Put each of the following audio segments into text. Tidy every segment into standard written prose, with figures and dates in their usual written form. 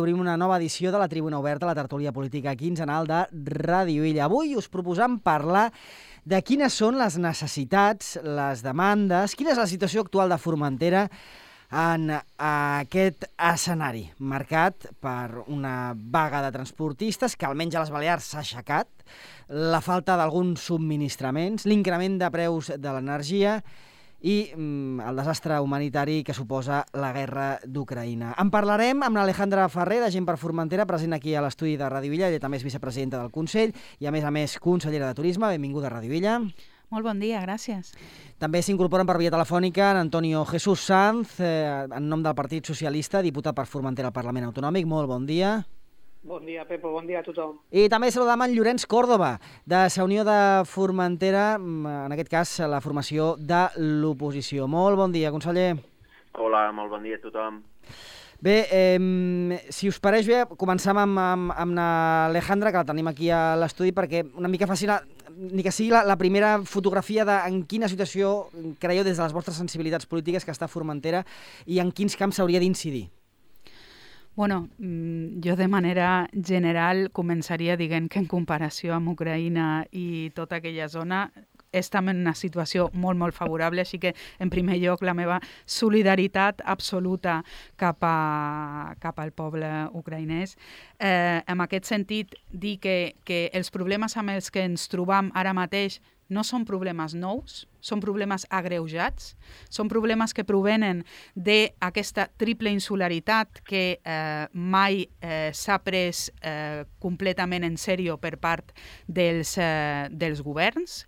Obrim una nova edició de la Tribuna Oberta, la tertúlia política quinzenal de Ràdio Illa. Avui us proposam parlar de quines són les necessitats, les demandes, quina és la situació actual de Formentera en aquest escenari marcat per una vaga de transportistes que almenys a les Balears s'ha aixecat, la falta d'alguns subministraments, l'increment de preus de l'energia i el desastre humanitari que suposa la guerra d'Ucraïna. En parlarem amb l'Alejandra Ferrer, de Gent per Formentera, present aquí a l'estudi de Ràdio Illa. Ella també és vicepresidenta del Consell i, a més, consellera de Turisme. Benvinguda a Ràdio Illa. Molt bon dia, gràcies. També s'incorporen per via telefònica en Antonio Jesús Sanz, en nom del Partit Socialista, diputat per Formentera al Parlament Autonòmic. Molt bon dia. Bon dia, Pepo, bon dia a tothom. I també saludam en Llorenç Córdoba, de la Unió de Formentera, en aquest cas la formació de l'oposició. Molt bon dia, conseller. Hola, molt bon dia a tothom. Bé, si us pareix bé, començam amb l'Alejandra, que la tenim aquí a l'estudi, perquè una mica faci ni que sigui la primera fotografia de en quina situació creieu des de les vostres sensibilitats polítiques que està Formentera i en quins camps s'hauria d'incidir. Bueno, jo de manera general començaria dient que en comparació amb Ucraïna i tota aquella zona estem en una situació molt, molt favorable, així que, en primer lloc, la meva solidaritat absoluta cap al poble ucraïnès. En aquest sentit, dir que els problemes amb els que ens trobam ara mateix no són problemes nous, són problemes agreujats, són problemes que provenen d'aquesta triple insularitat que mai s'ha pres completament en sèrio per part dels governs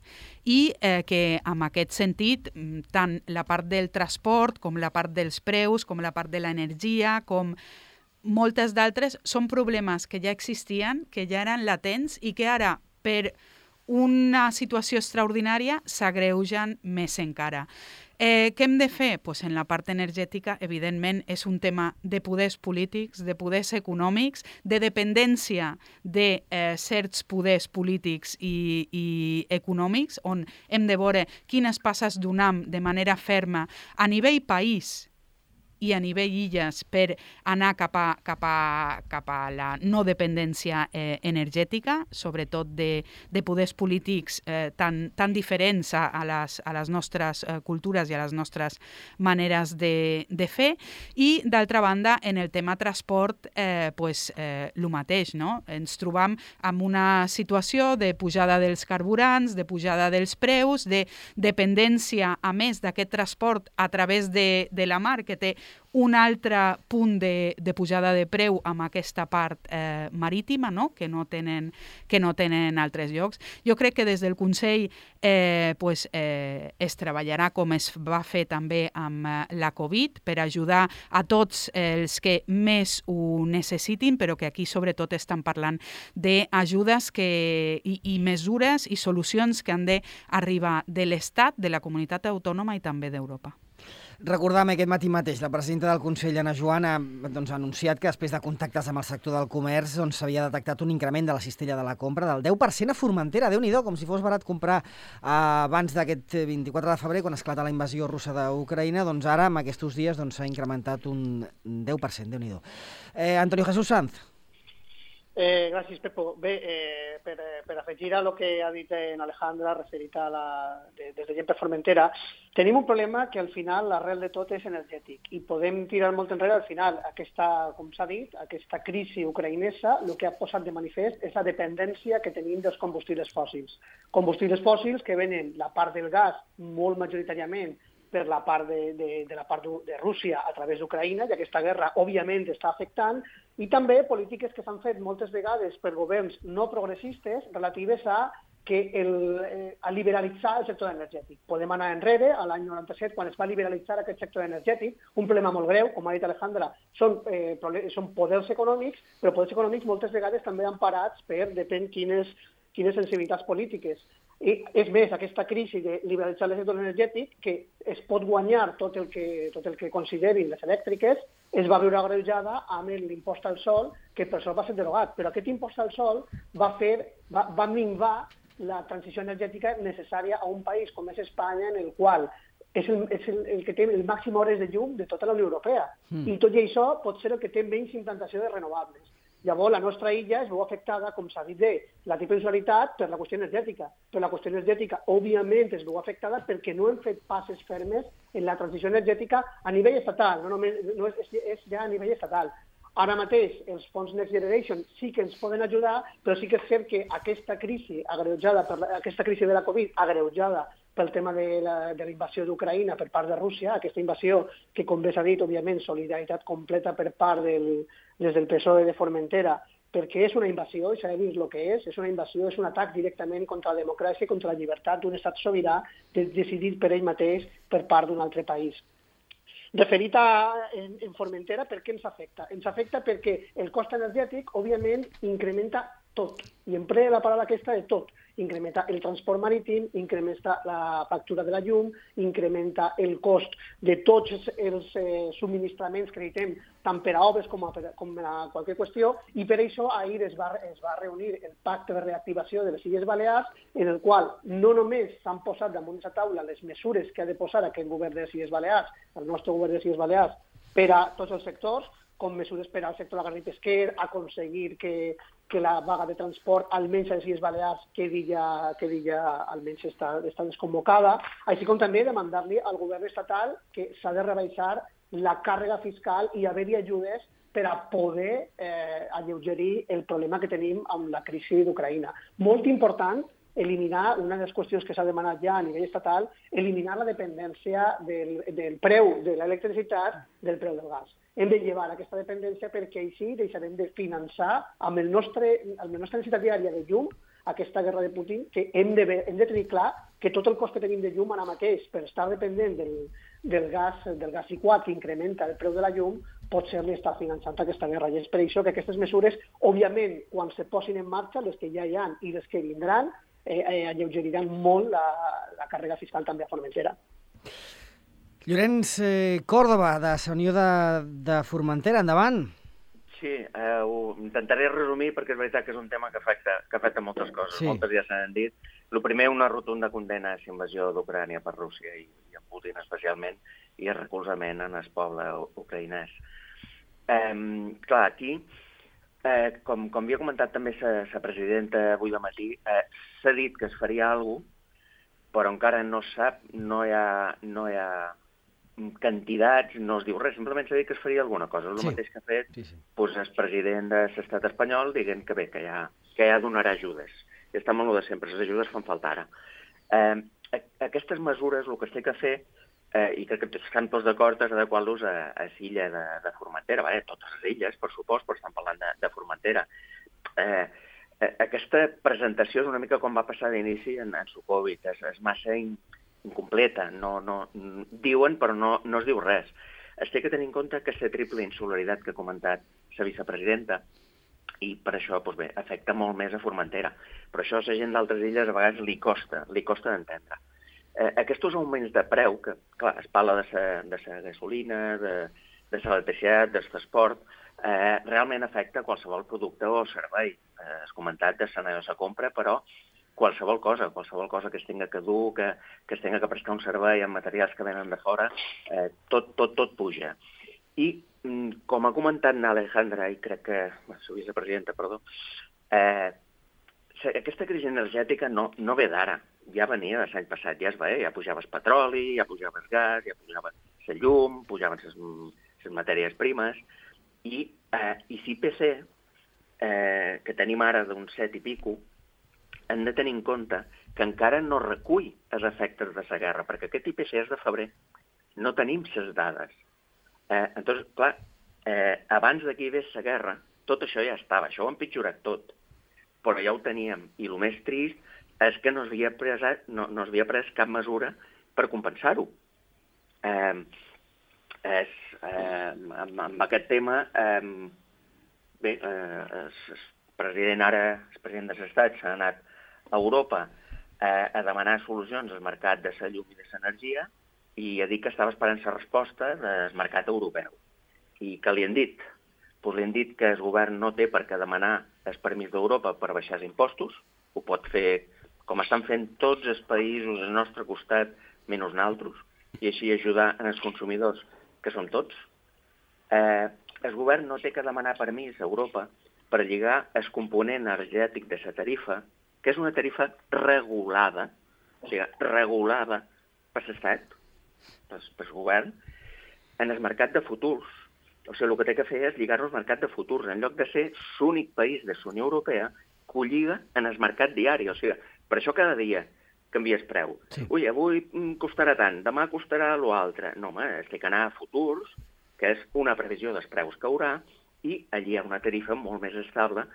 i que en aquest sentit tant la part del transport com la part dels preus, com la part de l'energia, com moltes d'altres, són problemes que ja existien, que ja eren latents i que ara, per una situació extraordinària, s'agreugen més encara. Què hem de fer? Pues en la part energètica, evidentment, és un tema de poders polítics, de poders econòmics, de dependència de certs poders polítics i econòmics, on hem de veure quines passes donem de manera ferma a nivell país i a nivell illes per anar cap a la no dependència energètica, sobretot de poders polítics tan diferents a les nostres cultures i a les nostres maneres de fer. I, d'altra banda, en el tema transport, el mateix, no? Ens trobam en una situació de pujada dels carburants, de pujada dels preus, de dependència, a més d'aquest transport a través de la mar, que té un altre punt de pujada de preu amb aquesta part marítima, no? que no tenen altres llocs. Jo crec que des del Consell es treballarà com es va fer també amb la Covid per ajudar a tots els que més ho necessitin, però que aquí sobretot estan parlant d'ajudes i mesures i solucions que han d'arribar de l'Estat, de la comunitat autònoma i també d'Europa. Recordam aquest matí mateix, la presidenta del Consell, Anna Joana, ha anunciat que després de contactes amb el sector del comerç s'havia detectat un increment de la cistella de la compra del 10% a Formentera. Déu-n'hi-do, com si fos barat comprar abans d'aquest 24 de febrer, quan esclata la invasió russa d'Ucraïna, doncs ara, en aquests dies, s'ha incrementat un 10%. Déu-n'hi-do. Antonio Jesús Sanz. Gràcies, Pepo. Bé, per afegir a el que ha dit en Alejandra referit a des de Gent per Formentera, tenim un problema que al final l'arrel de tot és energètic i podem tirar molt enrere. Al final, com s'ha dit, aquesta crisi ucraïnesa el que ha posat de manifest és la dependència que tenim dels combustibles fòssils. Combustibles fòssils que venen la part del gas molt majoritàriament per la part de Rússia a través d'Ucraïna, i aquesta guerra, òbviament, està afectant, i també polítiques que s'han fet moltes vegades per governs no progressistes relatives a liberalitzar el sector energètic. Podem anar enrere, a l'any 97, quan es va liberalitzar aquest sector energètic, un problema molt greu, com ha dit Alejandra, són poders econòmics, però poders econòmics moltes vegades també emparats per depèn quines sensibilitats polítiques. I és més, aquesta crisi de liberalitzar el sector energètic, que es pot guanyar tot el que considerin les elèctriques, es va veure agreujada amb l'impost al sol, que per sort va ser derogat. Però aquest impost al sol va minvar la transició energètica necessària a un país com és Espanya, en el qual és el que té el màxim hores de llum de tota la Unió Europea. I tot i això pot ser el que té menys implantació de renovables. Llavors, la nostra illa es veu afectada, com s'ha dit bé, la titularitat per la qüestió energètica. Però la qüestió energètica, òbviament, es veu afectada perquè no hem fet passes fermes en la transició energètica a nivell estatal, no és ja a nivell estatal. Ara mateix, els fons Next Generation sí que ens poden ajudar, però sí que és cert que aquesta crisi agreujada aquesta crisi de la Covid, agreujada pel tema de la invasió d'Ucraïna per part de Rússia, aquesta invasió que, com bé s'ha dit, òbviament, solidaritat completa per part des del PSOE de Formentera, perquè és una invasió, i s'ha de dir el que és una invasió, és un atac directament contra la democràcia i contra la llibertat d'un estat sobirà decidit per ell mateix per part d'un altre país. Referit en Formentera, per què ens afecta? Ens afecta perquè el cost energètic, òbviament, incrementa tot. I emprega la paraula aquesta de tot. Incrementa el transport marítim, incrementa la factura de la llum, incrementa el cost de tots els subministraments que necessitem, tant per a obres com a qualsevol qüestió, i per això ahir es va reunir el pacte de reactivació de les Illes Balears, en el qual no només s'han posat damunt la taula les mesures que ha de posar aquest govern de les Illes Balears, el nostre govern de les Illes Balears, per a tots els sectors, com mesures per al sector agrari pesquer, aconseguir que la vaga de transport, almenys a les Illes Balears, quedi ja almenys està desconvocada, així com també demandar-li al govern estatal que s'ha de rebaixar la càrrega fiscal i haver-hi ajudes per a poder alleugerir el problema que tenim amb la crisi d'Ucraïna. Molt important eliminar, una de les qüestions que s'ha demanat ja a nivell estatal, eliminar la dependència del preu de l'electricitat del preu del gas. Hem de llevar aquesta dependència perquè així deixarem de finançar amb la nostra necessitat diària de llum aquesta guerra de Putin, que hem de tenir clar que tot el cost que tenim de llum ara mateix per estar dependent del gas liquat que incrementa el preu de la llum pot ser-li estar finançant aquesta guerra. I és per això que aquestes mesures, òbviament, quan se posin en marxa, les que ja hi ha i les que vindran, alleugeriran molt la càrrega fiscal també a Formentera. Llorenç Còrdova, de la Unió de Formentera, endavant. Sí, ho intentaré resumir perquè és veritat que és un tema que afecta moltes coses, sí. Moltes ja s'han dit. El primer, una rotunda condena a la invasió d'Ucrània per Rússia i a Putin especialment, i el recolzament en el poble ucraïnès. Clar, aquí, com havia comentat també la presidenta avui de matí, s'ha dit que es faria alguna cosa, però encara no sap, no hi ha quantitats, no es diu res, simplement s'ha dit que es faria alguna cosa. És el mateix que ha fet doncs, el president de l'estat espanyol dient que bé, que ja donarà ajudes. I està amb el de sempre, les ajudes fan falta ara. Aquestes mesures, el que es té que fer, i crec que estan tots d'acord, és adequar-los a l'illa de Formentera, totes les illes, per supost, però estan parlant de Formentera. Aquesta presentació és una mica com va passar d'inici en el Covid, és massa incompleta, diuen però no es diu res. Es té que tenir en compte que la triple insularitat que ha comentat la vicepresidenta, i per això doncs bé, afecta molt més a Formentera, però això a la gent d'altres illes a vegades li costa d'entendre. Aquests augments de preu, que clar, es parla de la gasolina, de l'electricitat, del transport, realment afecta qualsevol producte o servei. Has comentat de la compra, però qualsevol cosa que es tinga que dur, que es tinga que prestar un servei amb materials que venen de fora, tot puja. I, com ha comentat Alejandra, i crec que la vicepresidenta, aquesta crisi energètica no ve d'ara, ja venia de l'any passat, ja es veia, ja pujava el petroli, ja pujava el gas, ja pujava la llum, pujaven les matèries primes, i l'IPC, que tenim ara d'un 7 i pico, hem de tenir en compte que encara no recull els efectes de la guerra, perquè aquest IPC és de febrer. No tenim les dades. Entonces, clar, abans que hi hagués la guerra, tot això ja estava. Això ho ha empitjorat tot. Però ja ho teníem. I el més trist és que no s'havia pres cap mesura per compensar-ho. Amb aquest tema, bé, el president de l'Estat s'ha anat a Europa a demanar solucions al mercat de la llum i de l'energia i a dir que estava esperant la resposta del mercat europeu. I què li han dit? Doncs li han dit que el govern no té per què demanar el permís d'Europa per baixar els impostos, ho pot fer com estan fent tots els països al nostre costat, menys nosaltres, i així ajudar els consumidors, que som tots. El govern no té que demanar permís a Europa per lligar el component energètic de la tarifa, que és una tarifa regulada, o sigui, regulada per l'Estat, pel govern, en el mercat de futurs. O sigui, el que té que fer és lligar-lo al mercat de futurs, en lloc de ser l'únic país de la Unió Europea que ho lliga en el mercat diari. O sigui, per això cada dia canvies preu. Sí. Ui, avui costarà tant, demà costarà l'altre. No, home, es té que anar a futurs, que és una previsió dels preus que haurà, i allí hi ha una tarifa molt més estable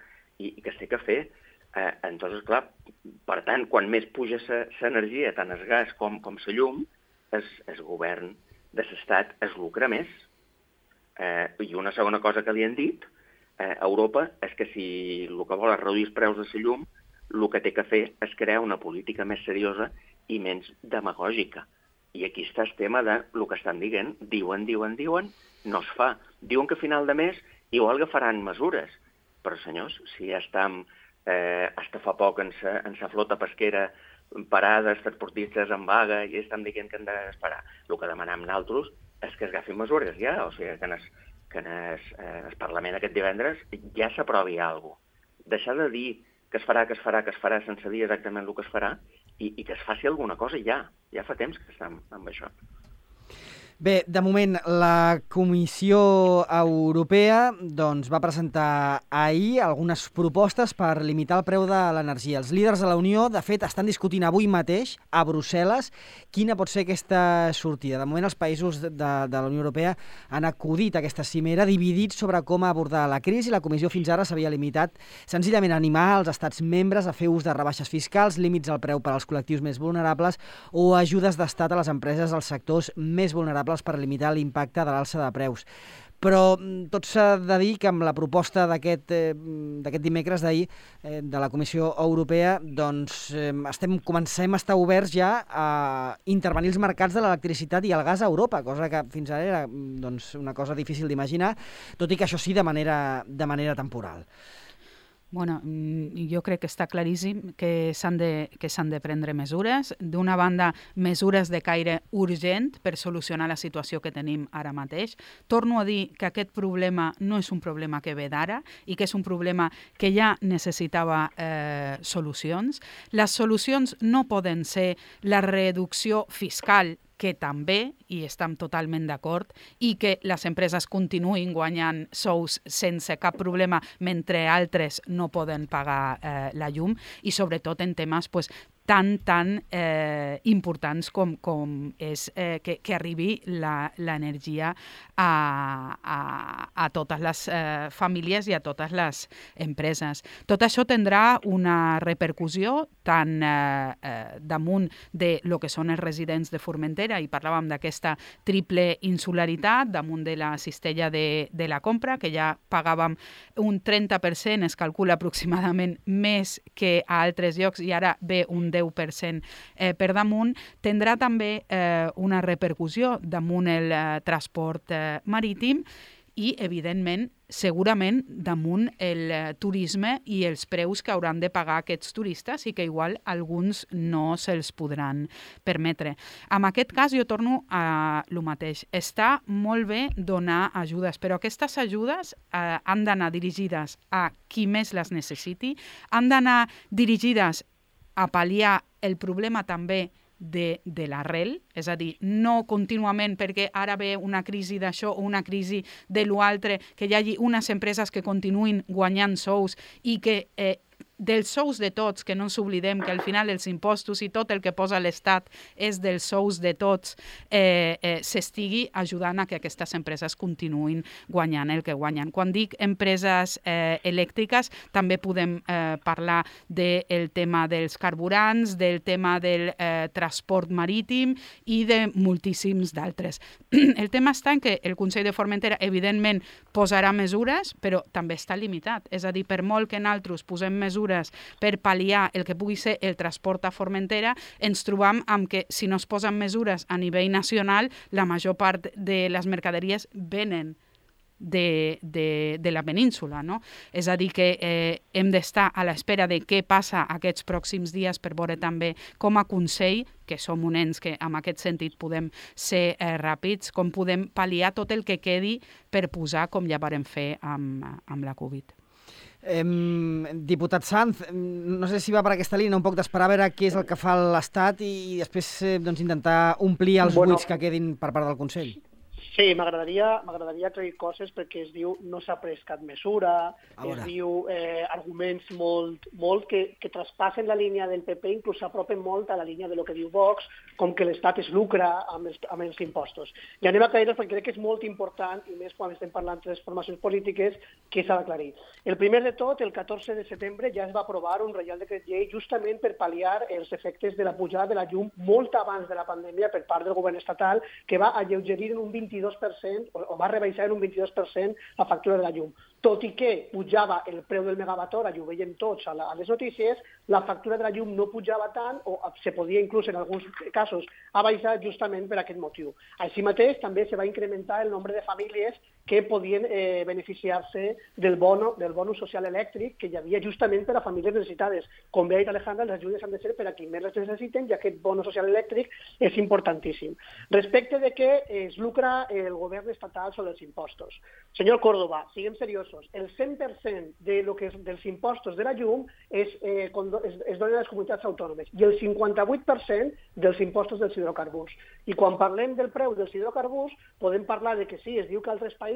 i que es té que fer. Entonces, clar, per tant, quan més puja l'energia, tant el gas com la llum, el govern de l'Estat es lucra més. I una segona cosa que li han dit a Europa és que si el que vol és reduir els preus de la llum, el que té que fer és crear una política més seriosa i menys demagògica. I aquí està el tema de el que estan dient. Diuen, no es fa. Diuen que a final de mes igual que faran mesures. Però, senyors, si ja estem hasta fa poc en la flota pesquera parada, els transportistes en vaga, i estan dient que hem d'esperar. El que demanem nosaltres és que es agafin mesures ja, o sigui, que en el Parlament aquest divendres ja s'aprovi alguna cosa. Deixar de dir que es farà sense dir exactament el que es farà i que es faci alguna cosa ja. Ja fa temps que estem amb això. Bé, de moment, la Comissió Europea va presentar ahir algunes propostes per limitar el preu de l'energia. Els líders de la Unió, de fet, estan discutint avui mateix a Brussel·les quina pot ser aquesta sortida. De moment, els països de la Unió Europea han acudit a aquesta cimera dividits sobre com abordar la crisi. La Comissió fins ara s'havia limitat senzillament a animar els estats membres a fer ús de rebaixes fiscals, límits al preu per als col·lectius més vulnerables o ajudes d'estat a les empreses dels sectors més vulnerables per limitar l'impacte de l'alça de preus. Però tot s'ha de dir que amb la proposta d'aquest dimecres d'ahir de la Comissió Europea comencem a estar oberts ja a intervenir els mercats de l'electricitat i el gas a Europa, cosa que fins ara era una cosa difícil d'imaginar, tot i que això sí de manera temporal. Bueno, jo crec que està claríssim que s'han de prendre mesures. D'una banda, mesures de caire urgent per solucionar la situació que tenim ara mateix. Torno a dir que aquest problema no és un problema que ve d'ara i que és un problema que ja necessitava solucions. Les solucions no poden ser la reducció fiscal, que també, i estem totalment d'acord, i que les empreses continuïn guanyant sous sense cap problema mentre altres no poden pagar la llum, i sobretot en temes tan importants com és que arribi l'energia a totes les famílies i a totes les empreses. Tot això tindrà una repercussió tant damunt de lo que són els residents de Formentera, i parlàvem d'aquesta triple insularitat damunt de la cistella de la compra, que ja pagàvem un 30%, es calcula aproximadament més que a altres llocs, i ara ve un 10% per damunt. Tindrà també una repercussió damunt el transport marítim i, evidentment, segurament damunt el turisme i els preus que hauran de pagar aquests turistes i que igual alguns no se'ls podran permetre. En aquest cas jo torno a lo mateix. Està molt bé donar ajudes, però aquestes ajudes han d'anar dirigides a qui més les necessiti, han d'anar dirigides a pal·liar el problema també de l'arrel, és a dir, no contínuament perquè ara ve una crisi d'això o una crisi de l'altre, que hi hagi unes empreses que continuïn guanyant sous i que dels sous de tots, que no ens oblidem que al final els impostos i tot el que posa l'Estat és dels sous de tots, s'estigui ajudant a que aquestes empreses continuïn guanyant el que guanyen. Quan dic empreses elèctriques, també podem parlar del tema dels carburants, del tema del transport marítim i de moltíssims d'altres. El tema està en que el Consell de Formentera, evidentment, posarà mesures, però també està limitat. És a dir, per molt que nosaltres posem mesures per pal·liar el que pugui ser el transport a Formentera, ens trobam amb que si no es posen mesures a nivell nacional, la major part de les mercaderies venen de la península, no? És a dir, que hem d'estar a l'espera de què passa aquests pròxims dies per veure també com a Consell, que som un ens que en aquest sentit podem ser ràpids, com podem pal·liar tot el que quedi per posar com ja vàrem fer amb la Covid. Diputat Sanz, no sé si va per aquesta línia, un poc d'esperar a veure què és el que fa l'Estat i després intentar omplir els buits que quedin per part del Consell. Sí, m'agradaria aclarir coses perquè es diu no s'ha pres cap mesura, es diu arguments molt que traspassen la línia del PP, inclús s'apropen molt a la línia de lo que diu Vox, com que l'Estat es lucra amb els impostos. I anem a aclarir-los perquè crec que és molt important, i més quan estem parlant de les formacions polítiques, que s'ha d'aclarir. El primer de tot, el 14 de setembre ja es va aprovar un reial decret llei justament per pal·liar els efectes de la pujada de la llum molt abans de la pandèmia per part del govern estatal, que va alleugerir en un 22% o va rebaixar en un 22% la factura de la llum. Tot i que pujava el preu del megawatt hora, i ho veiem tots a les notícies, la factura de la llum no pujava tant o se podia inclús en alguns casos abaixar justament per aquest motiu. Així mateix també se va incrementar el nombre de famílies que podien beneficiar-se del bono social elèctric que hi havia justament per a famílies necessitades. Com bé ha dit Alejandra, les ajudes han de ser per a qui més les necessiten i aquest bono social elèctric és importantíssim. Respecte de què es lucra el govern estatal sobre els impostos. Senyor Córdoba, siguem seriosos. El 100% dels impostos de la llum es donen a les comunitats autònomes i el 58% dels impostos dels hidrocarburs. I quan parlem del preu dels hidrocarburs, podem parlar de que sí, es diu que altres països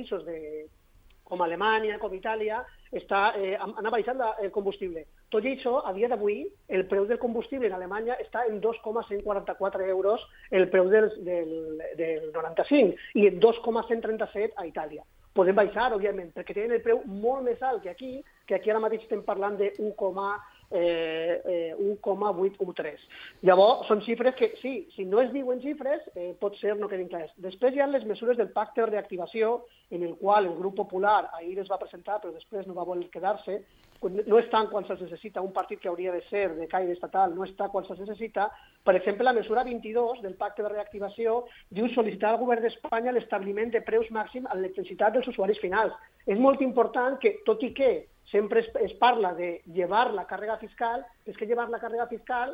com Alemanya, com Itàlia, han abaixat el combustible. Tot i això, a dia d'avui, el preu del combustible en Alemanya està en 2,144 euros el preu del 95 i en 2,137 a Itàlia. Podem baixar, òbviament, perquè tenen el preu molt més alt que aquí ara mateix estem parlant de 1,813. Llavors, són xifres que, sí, si no es diuen xifres, pot ser no quedin clars. Després hi ha les mesures del pacte de reactivació, en el qual el grup popular ahir es va presentar, però després no va voler quedar-se. No està quan se'ls necessita un partit que hauria de ser de caire estatal, no està quan se'ls necessita. Per exemple, la mesura 22 del pacte de reactivació diu sol·licitar al govern d'Espanya l'establiment de preus màxims a l'electricitat dels usuaris finals. És molt important que, tot i que sempre es parla de llevar la càrrega fiscal, és que llevar la càrrega fiscal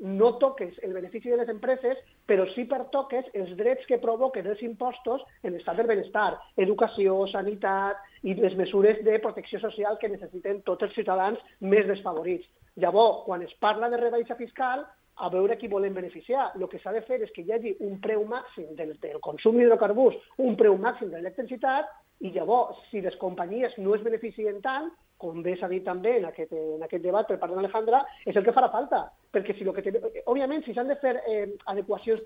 no toques el benefici de les empreses, però sí pertoques els drets que provoquen els impostos en l'estat del benestar, educació, sanitat i les mesures de protecció social que necessiten tots els ciutadans més desfavorits. Llavors, quan es parla de rebaixa fiscal, a veure qui volen beneficiar. El que s'ha de fer és que hi hagi un preu màxim del consum d'hidrocarburs, un preu màxim de l'electricitat, i llavors, si les companyies no es beneficien tant, com bé s'ha dit també en aquest debat per part d'Alejandra, és el que farà falta. Perquè òbviament, si s'han de fer adequacions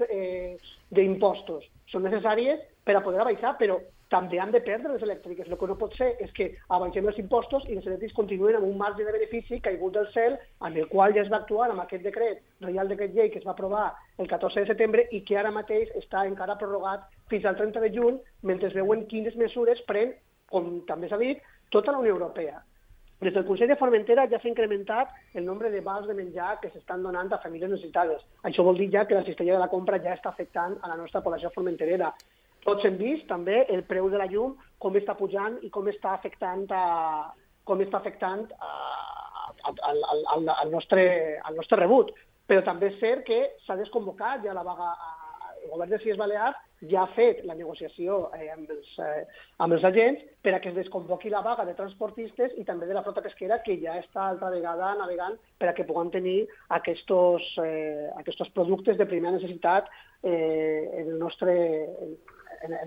d'impostos, són necessàries per a poder abaixar, però també han de perdre les elèctriques. El que no pot ser és que abaixem els impostos i les elèctriques continuen amb un marge de benefici caigut del cel, amb el qual ja es va actuar amb aquest reial decret llei que es va aprovar el 14 de setembre i que ara mateix està encara prorrogat fins al 30 de juny, mentre es veuen quines mesures pren, com també s'ha dit, tota la Unió Europea. Des del Consell de Formentera ja s'ha incrementat el nombre de vals de menjar que s'estan donant a famílies necessitades. Això vol dir ja que la cistella de la compra ja està afectant a la nostra població formenterera. Tots hem vist també el preu de la llum, com està pujant i com està afectant al nostre rebut. Però també és cert que s'ha desconvocat ja la vaga. El govern de les Illes Balears ja ha fet la negociació amb els agents per a que es desconvoqui la vaga de transportistes i també de la flota pesquera que ja està altra vegada navegant per a que puguem tenir aquests productes de primera necessitat en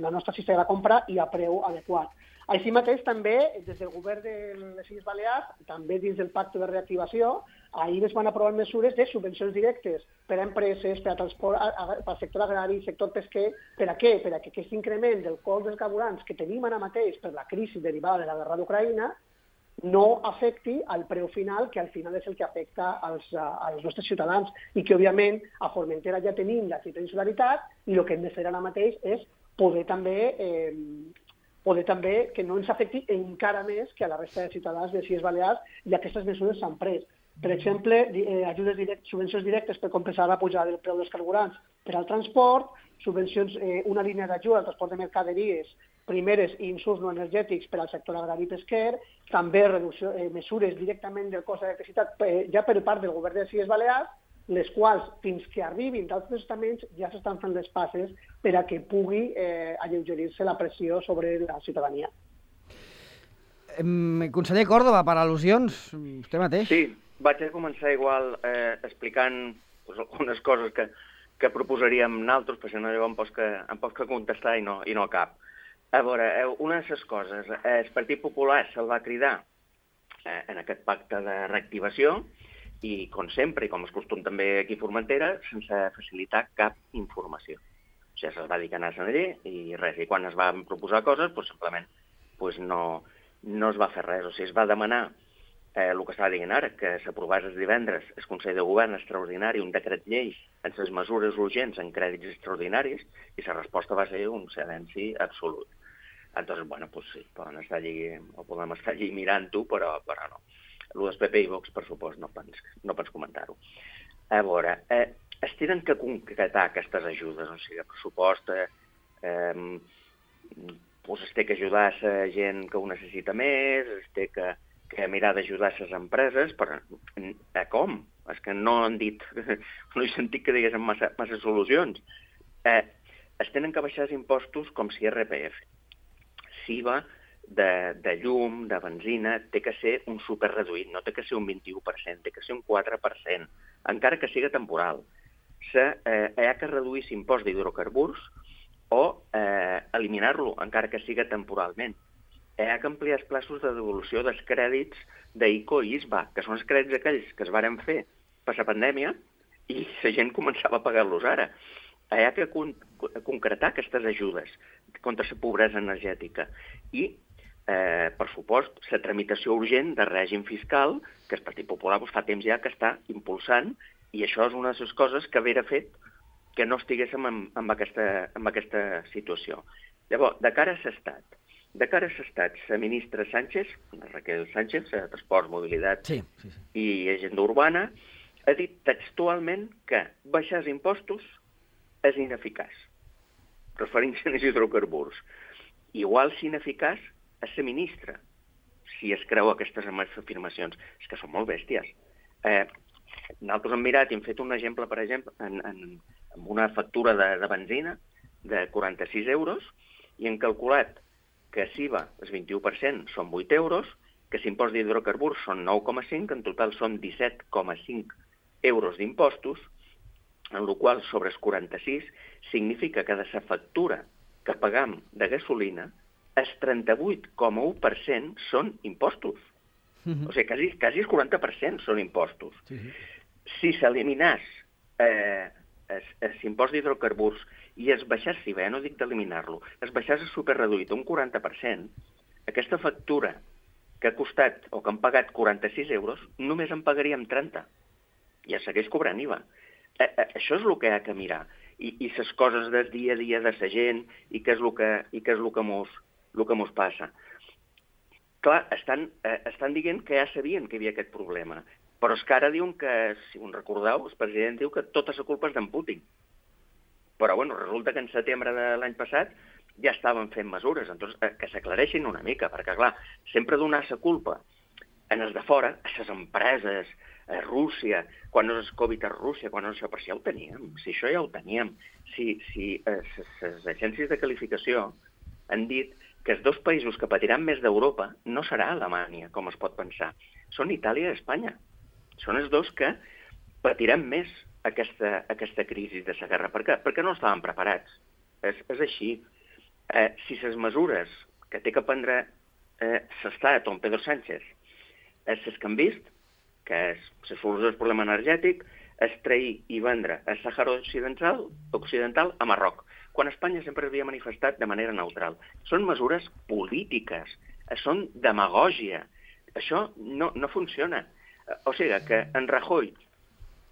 la nostra cistella de compra i a preu adequat. Així mateix, també, des del govern de les Illes Balears, també dins del pacte de reactivació, ahir es van aprovar mesures de subvencions directes per a empreses, per a transport, per al sector agrari, sector pesquer. Per a què? Per a que aquest increment del cost dels carburants que tenim ara mateix per la crisi derivada de la guerra d'Ucraïna no afecti al preu final, que al final és el que afecta als nostres ciutadans i que, òbviament, a Formentera ja tenim la cita d'insularitat i el que hem de fer ara mateix és poder també que no ens afecti encara més que a la resta de ciutadans de les Illes Balears i aquestes mesures s'han pres. Per exemple, subvencions directes per compensar la pujada del preu dels carburants per al transport, subvencions, una línia d'ajuda al transport de mercaderies primeres insums no energètics per al sector agrari i pesquer, també mesures directament del cost d'electricitat ja per part del govern de les Illes Balears, les quals, fins que arribin d'altres estaments, ja s'estan fent les passes per a que pugui alleugerir-se la pressió sobre la ciutadania. Conseller Córdoba, per al·lusions, vostè mateix. Sí, vaig a començar igual explicant algunes coses que proposaríem nosaltres, perquè no em pots que contestar i no cap. A veure, una de les coses, el Partit Popular se'l va cridar en aquest pacte de reactivació i, com sempre, i com és costum també aquí a Formentera, sense facilitar cap informació. O sigui, se'ls va dir que anaven allí i res. I quan es van proposar coses, simplement no es va fer res. O sigui, es va demanar el que estava dient ara, que s'aprovés el divendres el Consell de Govern extraordinari, un decret llei en les mesures urgents en crèdits extraordinaris, i la resposta va ser un silenci absolut. Entonces, bueno, pues sí, podem estar allí mirant-ho, però no. El del PP i Vox, per supost, no pots comentar-ho. A veure, es tenen que concretar aquestes ajudes, o sigui, el pressupost es té que ajudar a la gent que ho necessita més, es té que mirar d'ajudar les empreses, però com? És que no han dit, no he sentit que diguessin massa solucions. Es tenen que baixar els impostos com si IRPF. SIVA, de llum, de benzina, té que ser un superreduït, no té que ser un 21%, té que ser un 4%, encara que siga temporal. Hi ha que reduir l'impost d'hidrocarburs o eliminar-lo, encara que siga temporalment. Hi ha que ampliar els plaços de devolució dels crèdits d'ICO i ISBA, que són els crèdits aquells que es varen fer per la pandèmia i la gent començava a pagar-los ara. Hi ha que concretar aquestes ajudes contra la pobresa energètica i, per supost, la tramitació urgent de règim fiscal que el Partit Popular fa temps ja que està impulsant, i això és una de les coses que hauria fet que no estiguéssim en aquesta situació. Llavors, de cara a l'Estat, la ministra Sánchez, la Raquel Sánchez, de Transports, Mobilitat i Agenda Urbana, ha dit textualment que baixar els impostos és ineficaç, referint-se als hidrocarburs. Igual s'ineficaç és la ministra, si es creu aquestes afirmacions. És que són molt bèsties. Nosaltres hem mirat i hem fet un exemple, per exemple, amb una factura de benzina de 46 euros i hem calculat que SIVA, el 21%, són 8 euros, que l'impost d'hidrocarburs són 9,5, en total són 17,5 euros d'impostos, en el qual sobre els 46 significa que de la factura que pagam de gasolina el 38,1% són impostos. O sigui, quasi el 40% són impostos. Si s'eliminés l'impost d'hidrocarburs i es baixés, si bé no dic d'eliminar-lo, es baixés el superreduït un 40%, aquesta factura que ha costat o que han pagat 46 euros, només en pagaríem 30. I es segueix cobrant IVA. Això és el que hi ha que mirar. I les coses del dia a dia de la gent i què és el que mos passa. Clar, estan dient que ja sabien que hi havia aquest problema, però és que ara diuen que, si us recordeu, el president diu que tota la culpa és d'en Putin. Però, bueno, resulta que en setembre de l'any passat ja estaven fent mesures, doncs que s'aclareixin una mica, perquè, clar, sempre donar la culpa en els de fora, a les empreses, a Rússia, quan no és Covid a Rússia, quan no és això, però si ja ho teníem, si això ja ho teníem, si les agències de qualificació han dit que els dos països que patiran més d'Europa no serà Alemanya, com es pot pensar, són Itàlia i Espanya. Són els dos que patiran més aquesta crisi de la guerra. Per què? Perquè no estaven preparats. És així. Si les mesures que té que prendre l'Estat o en Pedro Sánchez és les que hem vist, que és la solució del problema energètic, és trair i vendre el Sàhara Occidental a Marroc, quan Espanya sempre havia manifestat de manera neutral. Són mesures polítiques, són demagògia. Això no funciona. O sigui que en Rajoy,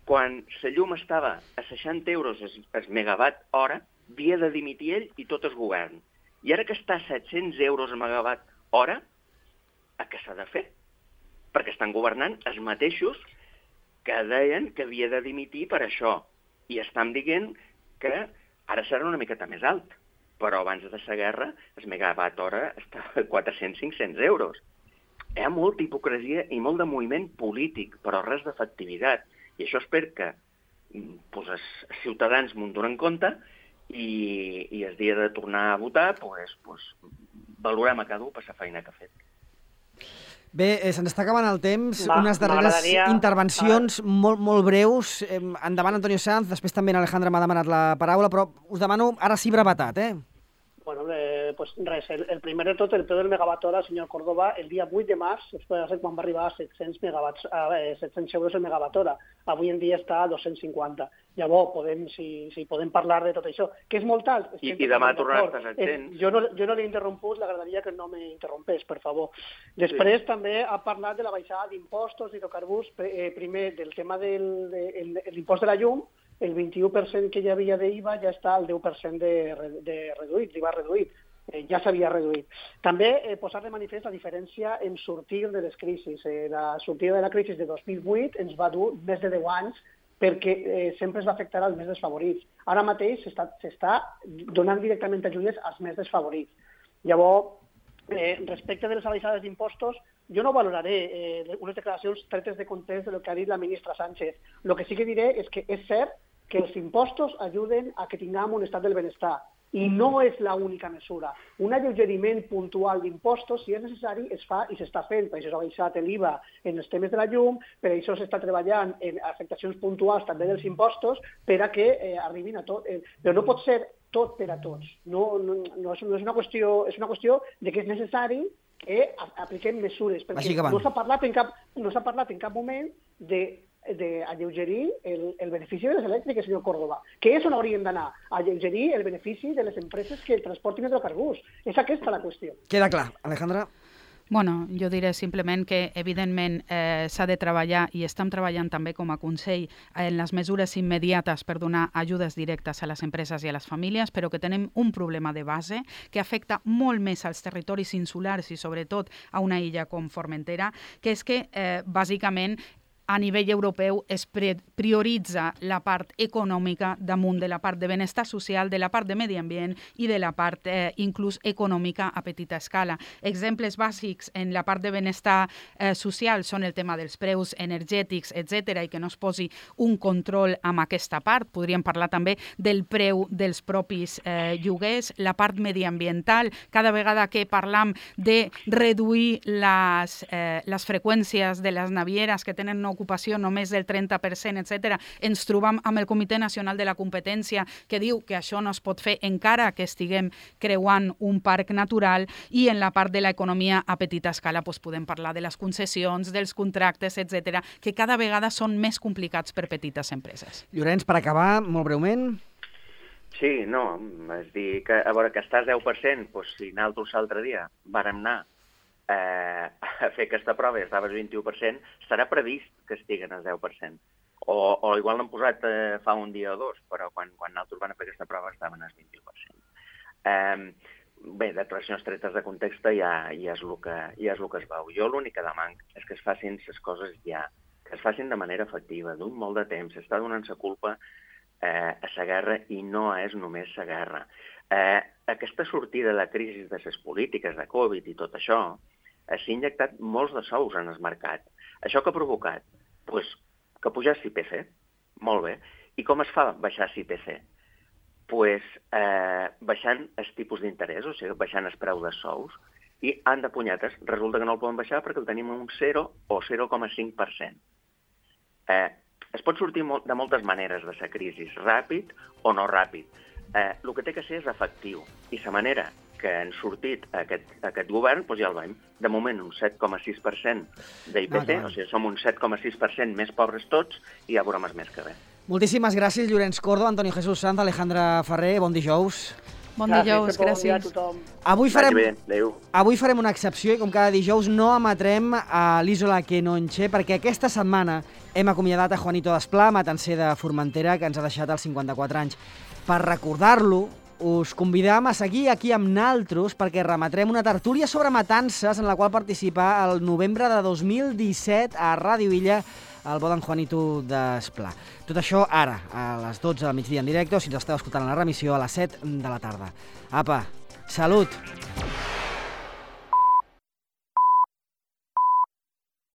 quan la llum estava a 60 euros el megawatt hora, havia de dimitir ell i tot el govern. I ara que està a 700 euros el megawatt hora, què s'ha de fer? Perquè estan governant els mateixos que deien que havia de dimitir per això. I estan dient que ara serà una miqueta més alt. però abans de la guerra el megawatt hora estava a 400-500 euros. Hi ha molta hipocresia i molt de moviment polític, però res d'efectivitat. I això espero que els ciutadans m'ho donen compte i el dia de tornar a votar valorem a cada un per la feina que ha fet. Bé, se'ns està acabant el temps. Unes darreres intervencions molt breus. Endavant, Antonio Sanz, després també Alejandra m'ha demanat la paraula, però us demano ara sí brevetat, Bueno, pues res, el primer de tot, el preu del megawatt hora, senyor Córdoba, el dia 8 de març, després de ser quan va arribar a 700 euros el megawatt hora. Avui en dia està a 250. Llavors, si podem parlar de tot això, que és molt alt. I demà tornarà a 700. Jo no l'he interromput, l'agradaria que no m'interrompés, per favor. Després també ha parlat de la baixada d'impostos d'hidrocarburs, primer del tema de l'impost de la llum, el 21% que hi havia d'IVA ja està al 10% de reduït, l'IVA reduït, ja s'havia reduït. També posar de manifest la diferència en sortir de les crisis. La sortida de la crisi de 2008 ens va dur més de 10 anys perquè sempre es va afectar als més desfavorits. Ara mateix s'està donant directament ajudes als més desfavorits. Llavors, respecte de les baixades d'impostos, jo no valoraré unes declaracions tretes de context del que ha dit la ministra Sánchez. El que sí que diré és que és cert que els impostos ajuden a que tinguem un estat del benestar i no és l'única mesura. Un alleugeriment puntual d'impostos, si és necessari, es fa i s'està fent. Per això s'ha baixat l'IVA en els temes de la llum, per això s'està treballant en afectacions puntuals també dels impostos per a que arribin a tot. Però no pot ser tot per a tots. No és una qüestió, és una qüestió de que és necessari que apliquem mesures, perquè no s'ha parlat en cap moment d'alleugerir el benefici de les elèctriques, senyor Córdoba, que és on hauríem d'anar, alleugerir el benefici de les empreses que transportin hidrocarburs. És aquesta la qüestió. Queda clar. Alejandra? Bueno, jo diré simplement que, evidentment, s'ha de treballar, i estem treballant també com a Consell, en les mesures immediates per donar ajudes directes a les empreses i a les famílies, però que tenim un problema de base que afecta molt més als territoris insulars i, sobretot, a una illa com Formentera, que és que, bàsicament, a nivell europeu es prioritza la part econòmica damunt de la part de benestar social, de la part de medi ambient i de la part inclús econòmica a petita escala. Exemples bàsics en la part de benestar social són el tema dels preus energètics, etc., i que no es posi un control amb aquesta part. Podríem parlar també del preu dels propis lloguers, la part mediambiental. Cada vegada que parlam de reduir les freqüències de les navieres que tenen una ocupació només del 30%, etc., ens trobam amb el Comitè Nacional de la Competència que diu que això no es pot fer encara que estiguem creuant un parc natural, i en la part de l'economia a petita escala podem parlar de les concessions, dels contractes, etc., que cada vegada són més complicats per petites empreses. Llorenç, per acabar, molt breument. Sí, no, és dir, que a veure, que estàs 10%, doncs si nosaltres l'altre dia vàrem anar a fer aquesta prova i estava al 21%, estarà previst que estiguen al 10%. O igual l'han posat fa un dia o dos, però quan nosaltres van a fer aquesta prova estaven al 21%. Bé, declaracions tretes de context ja és el que es veu. Jo l'únic que demano és que es facin les coses ja, que es facin de manera efectiva, d'un molt de temps. S'està donant la culpa a la guerra i no és només la guerra. Aquesta sortida de la crisi de les polítiques de Covid i tot això s'ha injectat molts de sous en el mercat. Això que ha provocat? Pues, que pujés l'IPC. Molt bé. I com es fa baixar l'IPC? Pues, baixant els tipus d'interès, o sigui, baixant el preu de sous, i han de punyetes. Resulta que no el poden baixar perquè el tenim un 0 o 0,5%. Es pot sortir de moltes maneres de la crisi, ràpid o no ràpid. El que té que ser és efectiu. I la manera que han sortit aquest govern, doncs ja el veiem. De moment, un 7,6% d'IPC, o sigui, som un 7,6% més pobres tots, i ja veurem el mes que ve. Moltíssimes gràcies, Llorenç Córdoba, Antonio Jesús Sanz, Alejandra Ferrer, bon dijous. Bon dijous, gràcies. Avui farem una excepció i com cada dijous no emetrem a l'Isola que no enxe, perquè aquesta setmana hem acomiadat a Juanito Desplà, matancer de Formentera, que ens ha deixat als 54 anys. Per recordar-lo, us convidam a seguir aquí amb naltros perquè remetrem una tertúlia sobre matances en la qual participar el novembre de 2017 a Ràdio Illa el bo d'en Juanito d'Esplà. Tot això ara, a les 12 del migdia en directe, o si ens esteu escoltant a la remissió, a les 7 de la tarda. Apa, salut!